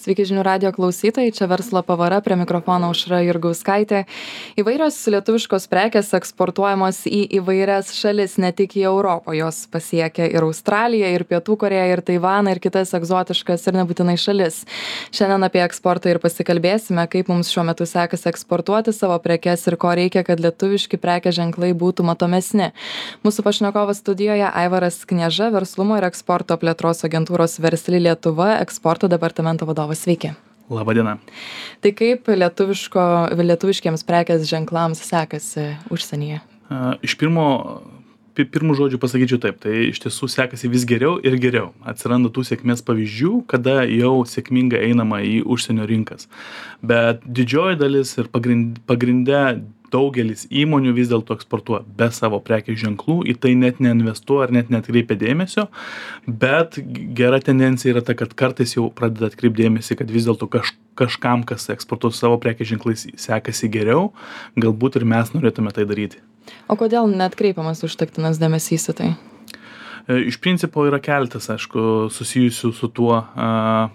Sveiki žinių radio klausytojai, čia verslo pavara, prie mikrofono Aušra Jurgauskaitė. Įvairios lietuviškos prekės eksportuojamos į įvairias šalis, ne tik į Europą. Jos pasiekia ir Australiją, ir Pietų Korėją, ir Taivaną, ir kitas egzotiškas ir nebūtinai šalis. Šiandien apie eksportą ir pasikalbėsime, kaip mums šiuo metu sekasi eksportuoti savo prekes ir ko reikia, kad lietuviški prekės ženklai būtų matomesni. Mūsų pašnekovas studijoje Aivaras Knieža, verslumo ir eksporto plėtros agentūros Versli Lietuva, eksporto departamento vadovas. Sveiki. Labadiena. Tai kaip lietuviškiems prekės ženklams sekasi užsienyje? Iš pirmų žodžių pasakyčiau taip, tai iš tiesų sekasi vis geriau ir geriau. Atsiranda tų sėkmės pavyzdžių, kada jau sėkmingai einama į užsienio rinkas. Bet didžioji dalis ir pagrinde daugelis įmonių vis dėlto eksportuoja be savo prekės ženklų, į tai net neinvestuoja ar net neatkreipia dėmesio, bet gera tendencija yra ta, kad kartais jau pradeda atkreipti dėmesį, kad vis dėlto kažkam, kas eksportuoja savo prekės ženklais, sekasi geriau, galbūt ir mes norėtume tai daryti. O kodėl neatkreipiamas užtektinas dėmesys į tai? Iš principo yra keletas, aišku, susijusių su tuo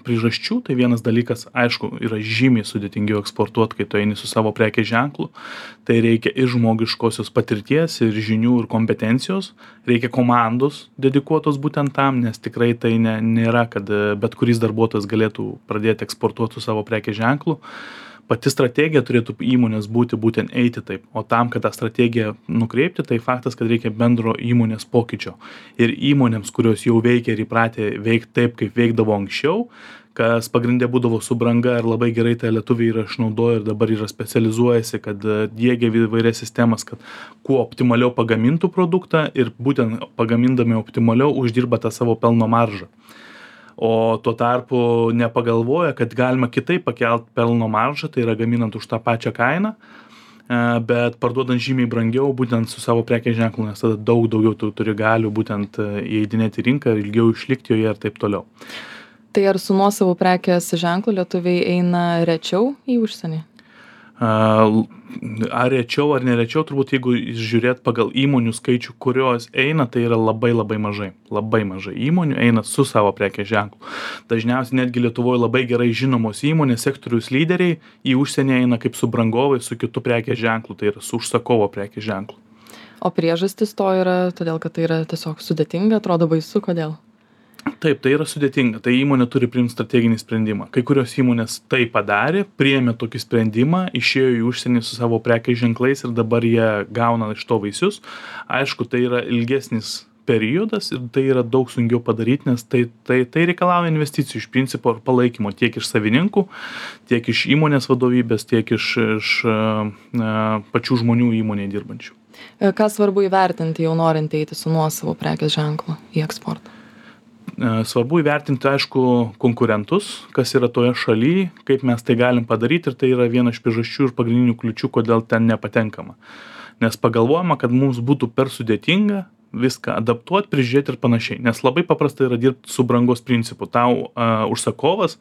priežasčių. Tai vienas dalykas, aišku, yra žymiai sudėtingiau eksportuoti, kai tu eini su savo prekės ženklu. Tai reikia ir žmogiškosios patirties, ir žinių, ir kompetencijos. Reikia komandos dedikuotos būtent tam, nes tikrai tai nėra, kad bet kuris darbuotojas galėtų pradėti eksportuoti su savo prekės ženklu. Pati strategija turėtų įmonės būtent eiti taip, o tam, kad tą strategiją nukreipti, tai faktas, kad reikia bendro įmonės pokyčio. Ir įmonėms, kurios jau veikia ir įpratę veikti taip, kaip veikdavo anksčiau, kas pagrindė būdavo su branga ir labai gerai tai lietuviai yra išnaudoję ir dabar yra specializuojasi, kad diegia įvairias sistemas, kad kuo optimaliau pagamintų produktą ir būtent pagamindami optimaliau uždirba tą savo pelno maržą. O tuo tarpu nepagalvoja, kad galima kitaip pakelt pelno maržą, tai yra gaminant už tą pačią kainą, bet parduodant žymiai brangiau būtent su savo prekės ženklu, nes tada daug daugiau tu turi galių būtent įeidinėti į rinką, ilgiau išlikti joje ir taip toliau. Tai ar su nuosavu prekės ženklu lietuviai eina rečiau į užsienį? Ar rečiau ar nerečiau, turbūt jeigu žiūrėt pagal įmonių skaičių, kurios eina, tai yra labai mažai. Labai mažai įmonių eina su savo prekės ženklu. Dažniausiai netgi Lietuvoje labai gerai žinomos įmonės, sektoriaus lyderiai į užsienį eina kaip su brangovai, su kitu prekės ženklu, tai yra su užsakovo prekės ženklu. O priežastis to yra todėl, kad tai yra tiesiog sudėtinga, atrodo baisu, kodėl? Taip, tai yra sudėtinga. Tai įmonė turi priimti strateginį sprendimą. Kai kurios įmonės tai padarė, priėmė tokį sprendimą, išėjo į užsienį su savo prekės ženklais ir dabar jie gauna iš to vaisius. Aišku, tai yra ilgesnis periodas ir tai yra daug sunkiau padaryti, nes tai reikalauja investicijų iš principo ir palaikymo tiek iš savininkų, tiek iš įmonės vadovybės, tiek iš pačių žmonių įmonėje dirbančių. Ką svarbu įvertinti jau norint eiti su nuosavu prekės ženklu į eksportą? Svarbu įvertinti, aišku, konkurentus, kas yra toje šalyje, kaip mes tai galim padaryti ir tai yra viena iš priežasčių ir pagrindinių kliučių, kodėl ten nepatenkama. Nes pagalvojama, kad mums būtų per sudėtinga viską adaptuoti, prižiūrėti ir panašiai. Nes labai paprasta yra dirbti su brangos principu. Tau užsakovas,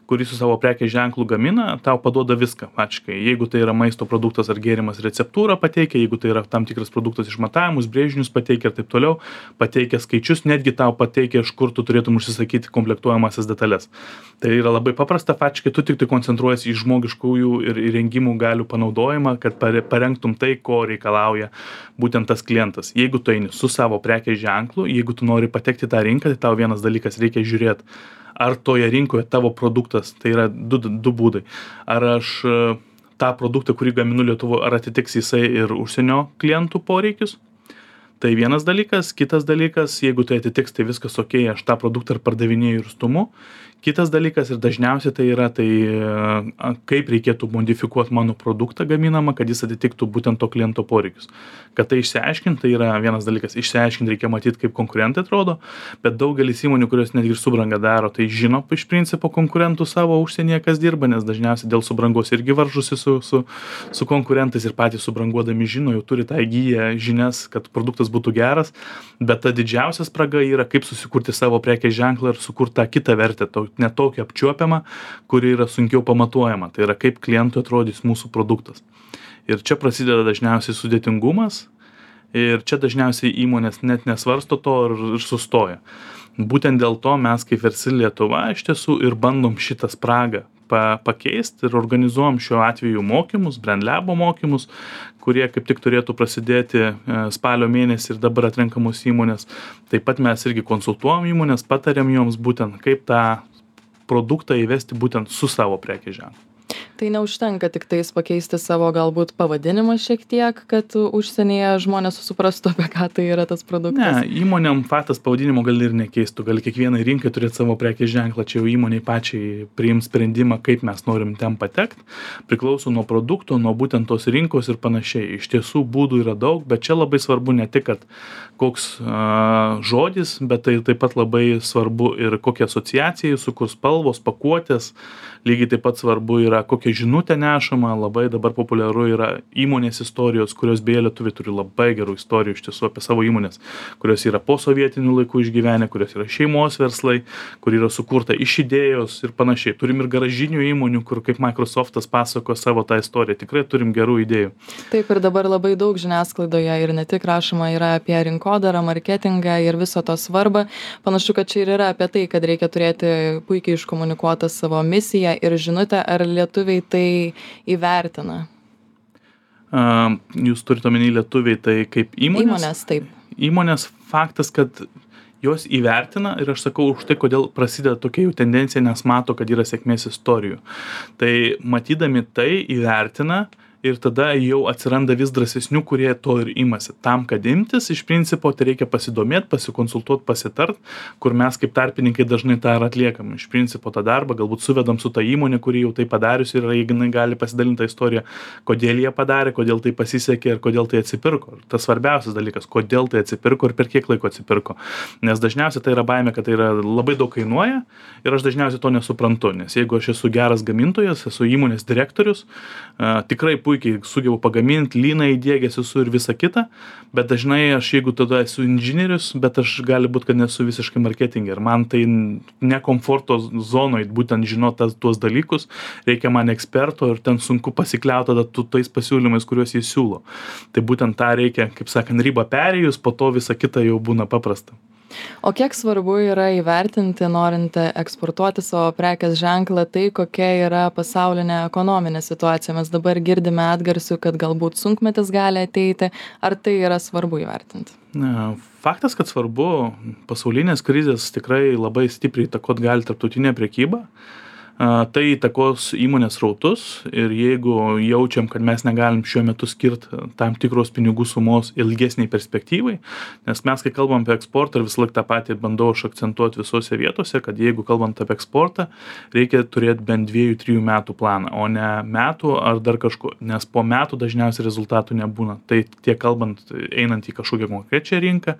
kuris su savo prekės ženklu gamina, tau paduoda viską pačiai. Jeigu tai yra maisto produktas ar gėrimas, receptūrą pateikia, jeigu tai yra tam tikras produktas išmatavimus, brėžinius pateikia ir taip toliau, pateikia skaičius, netgi tau pateikia, iš kur tu turėtum užsisakyti komplektuojamasias detalės. Tai yra labai paprasta, pačiai tu tik tai koncentruojasi į žmogiškųjų ir įrengimų galių panaudojimą, kad parengtum tai, ko reikalauja būtent tas klientas. Jeigu tu eini su savo prekės ženklu, jeigu tu nori patekti į tą rinką, tai tau vienas dalykas reikia žiūrėti, ar toje rinkoje tavo produktas, tai yra du būdai. Ar aš tą produktą, kurį gaminu Lietuvoje, ar atitiks jisai ir užsienio klientų poreikius? Tai vienas dalykas. Kitas dalykas, jeigu tai atitiks, tai viskas okei, aš tą produktą ir pardavinėju ir stumu. Kitas dalykas ir dažniausiai tai yra, kaip reikėtų modifikuoti mano produktą gaminamą, kad jis atitiktų būtent to kliento poreikius. Kad tai išsiaiškinti, tai yra vienas dalykas. Išsiaiškinti reikia matyti, kaip konkurentai atrodo, bet daugelis įmonių, kurios netgi ir subrangą daro, tai žino iš principo konkurentų savo užsienyje, kas dirba, nes dažniausiai dėl subrangos irgi varžosi su konkurentais ir patys subranguodami žino, jau turi tą įgyję žinias, kad produktas būtų geras, bet ta didžiausia spraga yra, kaip susikurti savo prekės ženklą ir sukurti tą kitą vertę, netokia apčiuopiama, kuri yra sunkiau pamatuojama. Tai yra, kaip klientui atrodys mūsų produktas. Ir čia prasideda dažniausiai sudėtingumas ir čia dažniausiai įmonės net nesvarsto to ir sustoja. Būtent dėl to mes kaip Versli Lietuva iš tiesų ir bandom šitą spragą pakeist ir organizuojam šiuo atveju mokymus, BrandLabo mokymus, kurie kaip tik turėtų prasidėti spalio mėnesį ir dabar atrenkamos įmonės. Taip pat mes irgi konsultuojam įmonės, patariam joms būtent kaip tą produktą įvesti būtent su savo prekės ženklu. Tai neužtenka tik tais pakeisti savo galbūt pavadinimą šiek tiek, kad užsienyje žmonės suprastų, apie ką tai yra tas produktas? Ne, įmonėm faktas pavadinimo gali ir nekeistų, gali kiekvienai rinkai turėti savo prekės ženklą, čia jau įmoniai pačiai priims sprendimą, kaip mes norim ten patekti, priklauso nuo produkto, nuo būtent tos rinkos ir panašiai. Iš tiesų būdų yra daug, bet čia labai svarbu ne tik, kad koks žodis, bet tai taip pat labai svarbu ir kokia asociacija, sukurs spalvos, pakuotės, lygiai taip pat svarbu yra kokia žinutė nešama, labai dabar populiaru yra įmonės istorijos, kurios beje lietuviai turi labai gerų istorijų iš tiesų apie savo įmonės, kurios yra po sovietinių laikų išgyvenę, kurios yra šeimos verslai, kur yra sukurta iš idėjos ir panašiai. Turim ir garažinių įmonių, kur kaip Microsoftas pasako savo tą istoriją, tikrai turim gerų idėjų. Taip, ir dabar labai daug žiniasklaidoje ir ne tik rašoma yra apie rinkodarą, marketingą ir viso to svarbą. Panašu, kad čia ir yra apie tai, kad reikia turėti puikiai iškomunikuotą savo misiją ir žinutę, ar lietuviai tai įvertina. Jūs turite omeny lietuviai tai kaip įmonės? Įmonės, taip. Įmonės faktas, kad jos įvertina ir aš sakau už tai, kodėl prasideda tokia jų tendencija, nes mato, kad yra sėkmės istorijų. Tai matydami tai įvertina ir tada jau atsiranda vis drąsesnių, kurie to ir imasi. Tam, kad imtis, iš principo, tai reikia pasidomėti, pasikonsultuoti, pasitart, kur mes kaip tarpininkai dažnai tą ir atliekam. Iš principo tą darbą galbūt suvedam su ta įmonė, kuri jau tai padarius ir jinai gali pasidalinti tą istoriją, kodėl jie padarė, kodėl tai pasisekė ir kodėl tai atsipirko. Ir tas svarbiausias dalykas, kodėl tai atsipirko ir per kiek laiko atsipirko. Nes dažniausiai tai yra baimė, kad tai yra labai daug kainuoja ir aš dažniausiai to nesuprantu. Nes jeigu aš esu geras gamintojas, esu įmonės direktorius, tikrai puikiai sugebu pagaminti, lyną įdiegęs esu ir visa kita, bet dažnai aš jeigu tada esu inžinierius, bet aš gali būti, kad nesu visiškai marketingė ir man tai ne komforto zonoje būtent žinot tuos dalykus, reikia man eksperto ir ten sunku pasikliauti tada tais pasiūlymais, kuriuos jis siūlo. Tai būtent tą reikia, kaip sakant, ribą perėjus, po to visa kita jau būna paprasta. O kiek svarbu yra įvertinti, norint eksportuoti savo prekės ženklą, tai kokia yra pasaulinė ekonominė situacija? Mes dabar girdime atgarsių, kad galbūt sunkmetis gali ateiti. Ar tai yra svarbu įvertinti? Faktas, kad svarbu, pasaulinės krizės tikrai labai stipriai įtakot gali tarptautinė prekyba. Tai įtakos įmonės srautus ir jeigu jaučiam, kad mes negalim šiuo metu skirti tam tikros pinigų sumos ilgesniai perspektyvai, nes mes, kai kalbam apie eksportą ir visą laiką tą patį bandau aš akcentuoti visose vietose, kad jeigu kalbant apie eksportą, reikia turėti bent 2-3 metų planą, o ne metų ar dar kažko, nes po metų dažniausiai rezultatų nebūna. Tai tiek kalbant, einant į kažkokią konkrečią rinką,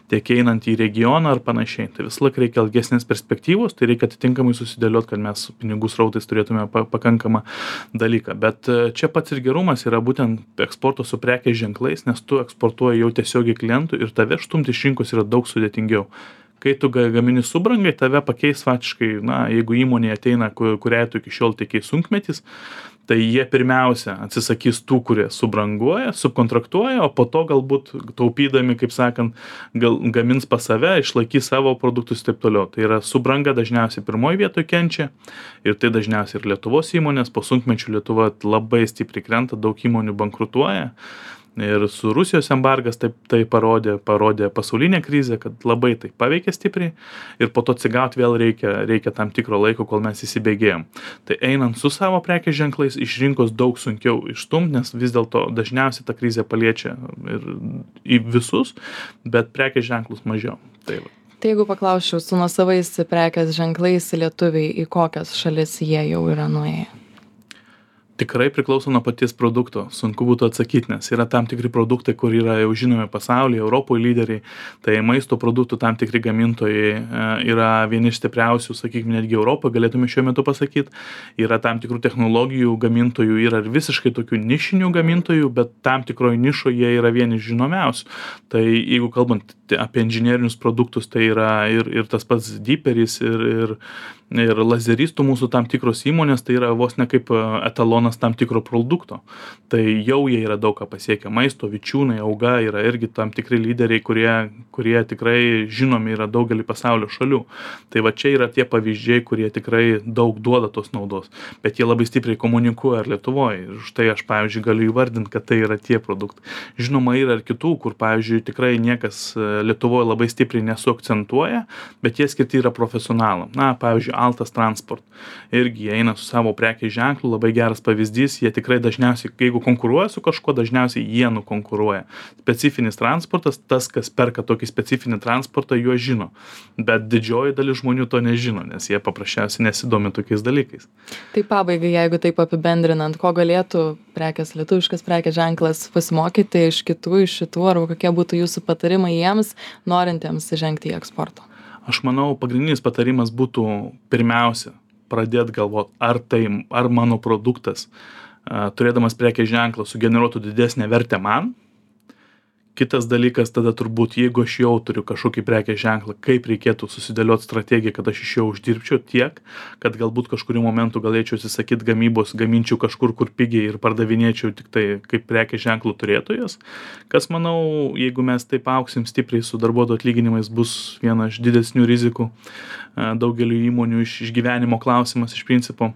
tiek einant į regioną ar panašiai. Tai visą laiką reikia ilgesnės perspektyvos, tai reikia atitinkamai susidėlioti, kad mes pinigų srautais turėtume pakankamą dalyką. Bet čia pats ir gerumas yra būtent eksporto su prekės ženklais, nes tu eksportuoji jau tiesiogiai klientų ir tave štumti iš rinkos yra daug sudėtingiau. Kai tu gamini subrangai, tave pakeis faktiškai, jeigu įmonė ateina, kuriai tu iki šiol tikėjai sunkmetis, tai jie pirmiausia atsisakys tų, kurie subranguoja, subkontraktuoja, o po to galbūt taupydami, kaip sakant, gamins pas save, išlaikys savo produktus ir taip toliau. Tai yra subranga dažniausiai pirmoje vietoje kenčia ir tai dažniausiai ir Lietuvos įmonės, po sunkmečių Lietuva labai stipriai krenta, daug įmonių bankrutuoja. Ir su Rusijos embargas tai parodė pasaulinė krizė, kad labai tai paveikė stipriai ir po to atsigauti vėl reikia tam tikro laiko, kol mes įsibėgėjom. Tai einant su savo prekės ženklais iš rinkos daug sunkiau išstumti, nes vis dėlto dažniausiai ta krizė paliečia ir į visus, bet prekės ženklus mažiau. Tai jeigu paklausčiau, su nuosavais prekės ženklais lietuviai į kokias šalis jie jau yra nuėję? Tikrai priklauso nuo paties produkto, sunku būtų atsakyti, nes yra tam tikri produktai, kur yra jau žinomi pasaulyje, Europoje lyderiai, tai maisto produktų tam tikri gamintojai yra vieni iš stipriausių, sakykime, netgi Europoje, galėtume šiuo metu pasakyti, yra tam tikrų technologijų gamintojų, yra ir visiškai tokių nišinių gamintojų, bet tam tikroje nišoje jie yra vieni žinomiausių. Tai jeigu kalbant apie inžinerinius produktus, tai yra ir tas pats Deeperis ir lazeristų mūsų tam tikros įmonės, tai yra vos ne kaip etalonas tonas tam tikro produkto. Tai jau jie yra daug ką pasiekę. Maisto, Vičiūnai, Auga yra irgi tam tikri lyderiai, kurie tikrai žinomi yra daugelį pasaulio šalių. Tai va čia yra tie pavyzdžiai, kurie tikrai daug duoda tos naudos. Bet jie labai stipriai komunikuoja ir Lietuvoje. Ir štai aš, pavyzdžiui, galiu įvardinti, kad tai yra tie produktai. Žinoma, yra ir kitų, kur, pavyzdžiui, tikrai niekas Lietuvoje labai stipriai nesuakcentuoja, bet jie skirti yra profesionalam. Na, pavyzdžiui, Altas Transport. Irgi jie eina su savo prekės ženklu, labai geras pavyzdys, jie tikrai dažniausiai, jeigu konkuruoja su kažkuo, dažniausiai jie nukonkuruoja. Specifinis transportas, tas, kas perka tokį specifinį transportą, juo žino. Bet didžioji dalis žmonių to nežino, nes jie paprasčiausiai nesidomi tokiais dalykais. Tai pabaigai, jeigu taip apibendrinant, ko galėtų lietuviškas prekės ženklas pasimokyti iš kitų, iš šitų, arba kokie būtų jūsų patarimai jiems, norintiems žengti į eksportą? Aš manau, pagrindinis patarimas būtų pirmiausia pradėti galvoti, ar mano produktas, turėdamas prekės ženklą, sugeneruotų didesnę vertę man. Kitas dalykas tada turbūt, jeigu aš jau turiu kažkokį prekės ženklą, kaip reikėtų susidėlioti strategiją, kad aš iš jo uždirbčiau tiek, kad galbūt kažkuriuo momentu galėčiau atsisakyti gamybos, gaminčiau kažkur, kur pigiai ir pardavinėčiau tik tai kaip prekės ženklų turėtojas. Kas, manau, jeigu mes taip augsim stipriai su darbuotojų atlyginimais, bus viena iš didesnių rizikų daugeliu įmonių išgyvenimo klausimas iš principo.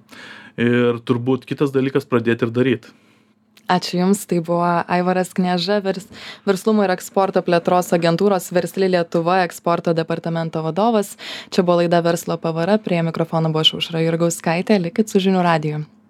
Ir turbūt kitas dalykas pradėti ir daryti. Ačiū Jums, tai buvo Aivaras Knieža, verslumo ir eksporto plėtros agentūros Versli Lietuva eksporto departamento vadovas. Čia buvo laida Verslo pavara, prie mikrofono buvo Aušra Jurgauskaitė, likit su žinių radiju.